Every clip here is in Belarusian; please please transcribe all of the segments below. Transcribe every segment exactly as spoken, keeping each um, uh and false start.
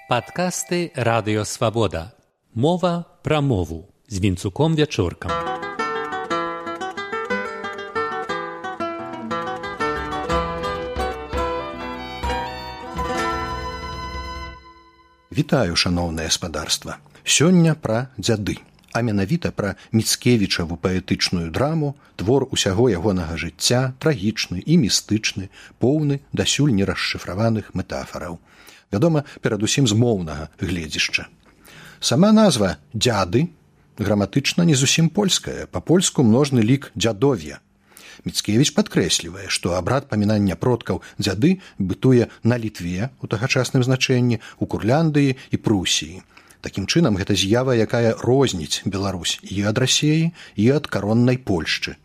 Падкасты Радыё Свабода. Мова пра мову з Вінцуком Вячоркам. Вітаю, шаноўнае спадарства. Сёння пра дзяды, а менавіта пра Міцкевічаву паэтычную драму, твор усяго ягонага жыцця, трагічны і містычны, поўны дасюль нерасшыфраваных метафараў. Вядома, перадусім з моўнага гледзішча. Сама назва «дзяды» граматычна не зусім польская, па-польску множны лік «дзядов'я». Міцкевіч падкрэслівае, што абрад памінання продкаў дзяды бытуе на Літве у тагачасным значэнні, у Курляндыі і Прусіі. Такім чынам, гэта з'ява, якая розніць Беларусь і ад Расіі, і ад кароннай Польшчы.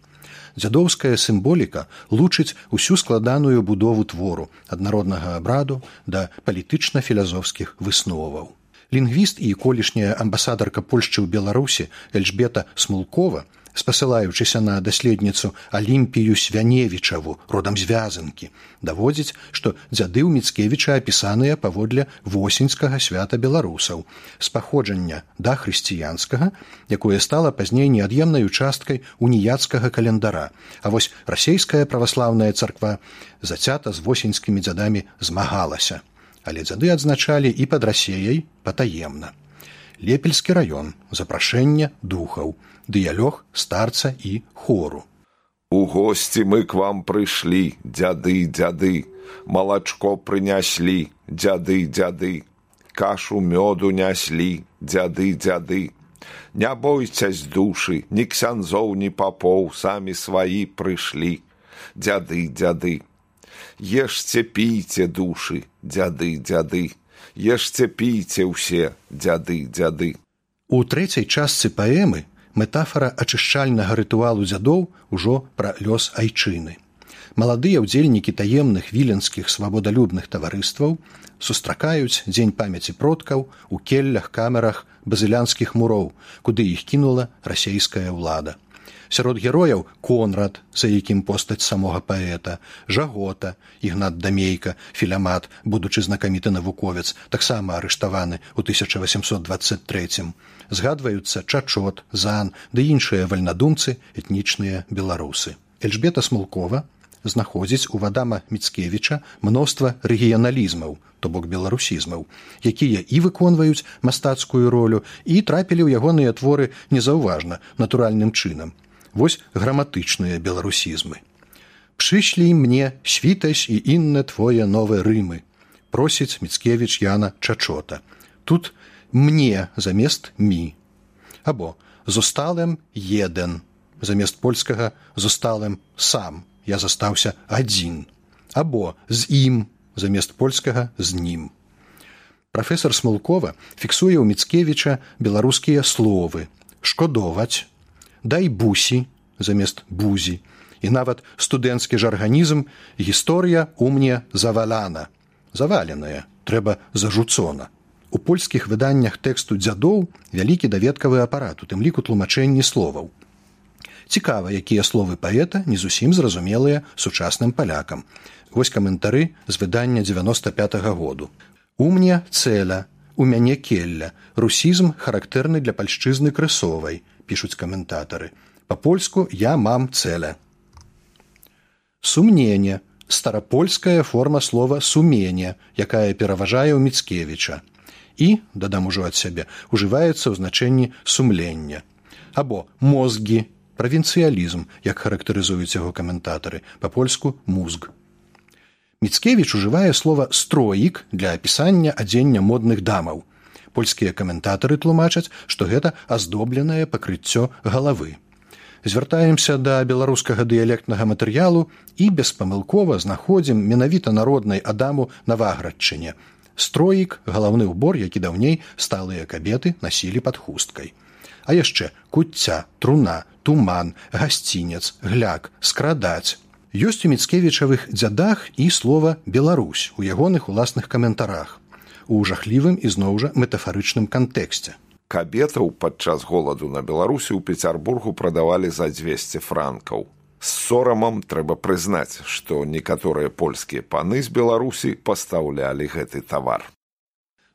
Дзядоўская сімволіка лучыць усю складаную будову твору ад народнага абраду да палітычна-філазофскіх высноваў. Лінгвіст і колішняя амбасадарка Польшчы ў Беларусі Эльжбета Смулкова, спасылаючыся на даследніцу Алімпію Свяневічаву, родам з Вязанкі, даводзіць, што дзяды ў Міцкевіча апісаныя паводле восеньскага свята беларусаў, з паходжання дахрысціянскага, якое стала пазней неад'емнай часткай уніяцкага календара, а вось расейская праваслаўная царква зацята з восеньскімі дзядамі змагалася, але дзяды адзначалі і пад Расеяй патаемна. Лепельскі раён, запрашэнне духаў, дыялог старца і хору. У госці мы к вам прыйшлі, дзяды, дзяды, малачко прыняслі, дзяды, дзяды, кашу мёду няслі, дзяды, дзяды. Не бойцясь душы, ні ксяндзоў, ні папоў, самі сваі прыйшлі, дзяды, дзяды. Ешце, пійце, душы, дзяды, дзяды, ешце, пійце ўсе, дзяды, дзяды. У трэцяй частцы паэмы метафара ачышчальнага рытуалу дзядоў ужо пра лёс айчыны. Маладыя ўдзельнікі таемных віленскіх свабодалюбных таварыстваў сустракаюць дзень памяці продкаў у келлях-камерах базылянскіх муроў, куды іх кінула расейская ўлада. Сярод герояў Конрад, за якім постаць самога паэта, Жагота, Ігнат Дамейка, Філямат, будучы знакаміты навуковец, таксама арыштаваны ў тысяча васямсот дваццаць трэцім. Згадваюцца Чачот, Зан ды іншыя вальнадумцы, этнічныя беларусы. Эльжбета Смулкова знаходзіць у Вадама Міцкевіча мноства рэгіяналізмаў, то бок беларусізмаў, якія і выконваюць мастацкую ролю, і трапілі ў ягоныя творы незаўважна, натуральным чынам. Вось граматычныя беларусізмы. «Прышлі мне, світась і інне твоє нове Рымы», просіць Міцкевіч Яна Чачота. Тут «мне» замест «мі». Або «зосталем еден», замест польскага «зосталем сам», я застаўся адзін. Або «з ім», замест польскага «з нім». Прафесор Смулкова фіксуе ў Міцкевіча беларускія словы «шкодоваць», «дай бусі» замест «бузі» і нават студэнцкі жарганізм «гісторыя у мне заваляна». Заваленая, трэба зажуцона. У польскіх выданнях тэксту дзядоў вялікі даведкавы апарат, у тым ліку тлумачэнні словаў. Цікава, якія словы паэта не зусім зразумелыя сучасным палякам. Вось каментары з выдання дзевяноста пятага году. «У мне цэля, у мяне келля, русізм характэрны для пальшчызны крысовай», пішуць каментатары. Па-польску «я мам цэля». «Сумненне» – старапольская форма слова «сумение», якая пераважае ў Міцкевіча. І, дадам ужо ад сябе, ужываецца ў значэнні «сумлення». Або «мозгі» – правінцыялізм, як характарызуюць яго каментатары, па-польску «музг». Міцкевіч ужывае слова «строік» для апісання адзення модных дамаў. Польскія каментатары тлумачаць, што гэта аздобленае пакрыццё галавы. Звяртаемся да беларускага дыялектнага матэрыялу і беспамылкова знаходзім менавіта народнай адаму на Ваградчыне. Строік – галаўны ўбор, які даўней сталыя кабеты насілі пад хусткай. А яшчэ куцця, труна, туман, гасцінец, гляк, скрадаць. Ёсць у Міцкевічавых дзядах і слова «Беларусь» у ягоных уласных каментарах. У жахлівым і зноў жа метафарычным кантэксце. Кабетаў падчас голаду на Беларусі ў Пецярбургу прадавалі за дзвесце франкаў. З сорамам трэба прызнаць, што некаторыя польскія паны з Беларусі пастаўлялі гэты тавар.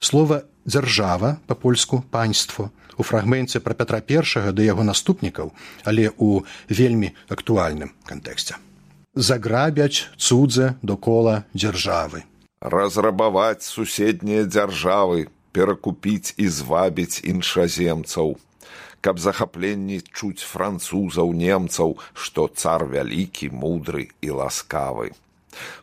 Слова «дзяржава» па-польску «паньство» у фрагменце пра Пятра Першага да яго наступнікаў, але ў вельмі актуальным кантэксце. Заграбяць цудзе докола дзяржавы. Разрабаваць суседнія дзяржавы, перакупіць і звабіць іншаземцаў, каб захапленні чуць французаў, немцаў, што цар вялікі, мудры і ласкавы.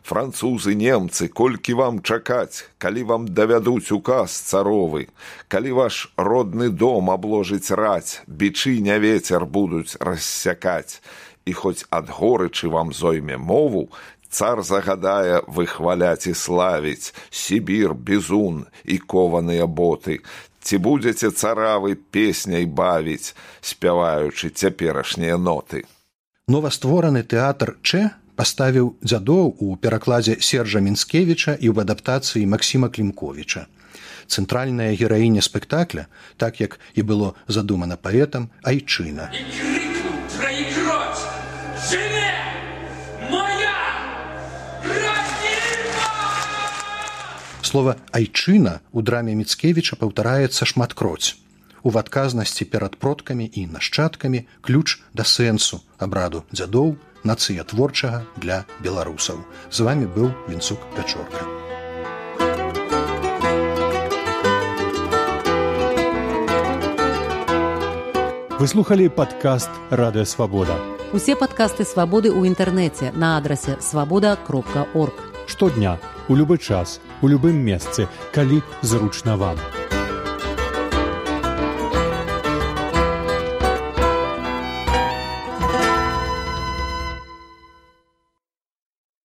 Французы, немцы, колькі вам чакаць, калі вам давядуць указ царовы, калі ваш родны дом абложыць раць, бичы не ветер будуць рассякаць, і хоць ад горычы вам зойме мову, цар загадае выхваляць і славіць Сібір, бізун і кованыя боты. Ці будзеце царавы песняй бавіць, спяваючы цяперашнія ноты. Новаствораны тэатр Чэ паставіў дзядоў у перакладзе Сержа Мінскевіча і ў адаптацыі Максіма Клімковіча. Цэнтральная гераіня спектакля, так як і было задумана паэтам, айчына. І крикнуў траікроць: «Жыве! Моя! Радзіма!» Слова «айчына» у драме Міцкевіча паўтараецца шматкроць. У адказнасці перад продкамі і нашчадкамі ключ да сэнсу абраду дзядоў, нацыятворчага для беларусаў. З вамі быў Вінцук Пячорка. Вы слухали падкаст «Радыё Свабода». Усе падкасты «Свабоды» ў інтэрнэце на адрасе свабода кропка орг. Штодня, у любы час, у любым месцы, калі зручна вам.